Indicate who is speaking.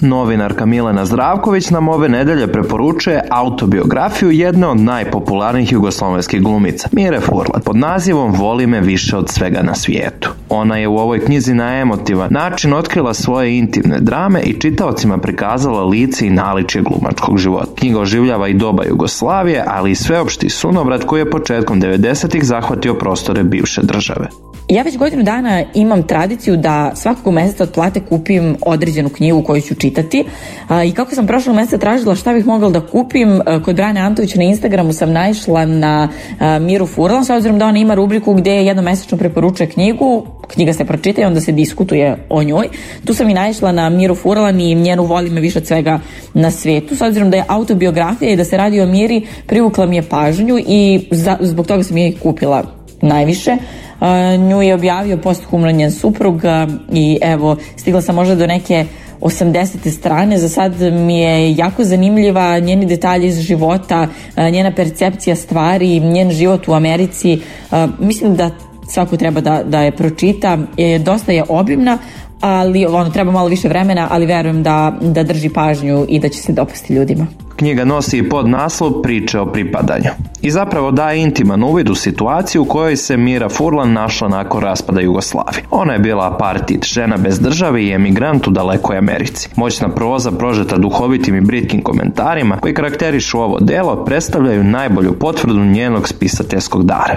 Speaker 1: Novinarka Milena Zdravković nam ove nedelje preporučuje autobiografiju jedne od najpopularnijih jugoslovenskih glumica, Mire Furlan, pod nazivom Voli me više od svega na svijetu. Ona je u ovoj knjizi na emotivan način otkrila svoje intimne drame i čitaocima prikazala lice i naličje glumačkog života. Knjiga oživljava i doba Jugoslavije, ali i sveopšti sunovrat koji je početkom 90-ih zahvatio prostore bivše države.
Speaker 2: Ja već godinu dana imam tradiciju da svakog meseca od plate kupim određenu knjigu koju ću čitati i kako sam prošlog meseca tražila šta bih mogla da kupim, kod Brane Antovića na Instagramu sam naišla na Miru Furlan, s obzirom da ona ima rubriku gde jednomesečno preporučuje knjigu, knjiga se pročita i onda se diskutuje o njoj. Tu sam i naišla na Miru Furlan i njenu Voli me više od svega na svijetu, s obzirom da je autobiografija i da se radi o Miri, privukla mi je pažnju i zbog toga sam je i kupila najviše. Nju je objavio posthumno njen suprug i evo, stigla sam možda do neke 80. strane. Za sad mi je jako zanimljiva, njeni detalji iz života, njena percepcija stvari, njen život u Americi. Mislim da svako treba da je pročita. Dosta je obimna, ali treba malo više vremena, ali verujem da drži pažnju i da će se dopasti ljudima.
Speaker 1: Knjiga nosi i podnaslov Priče o pripadanju i zapravo daje intiman uvid u situaciju u kojoj se Mira Furlan našla nakon raspada Jugoslavije. Ona je bila apartheid, žena bez države i emigrant u dalekoj Americi. Moćna proza prožeta duhovitim i britkim komentarima koji karakterišu ovo delo predstavljaju najbolju potvrdu njenog spisateljskog dara.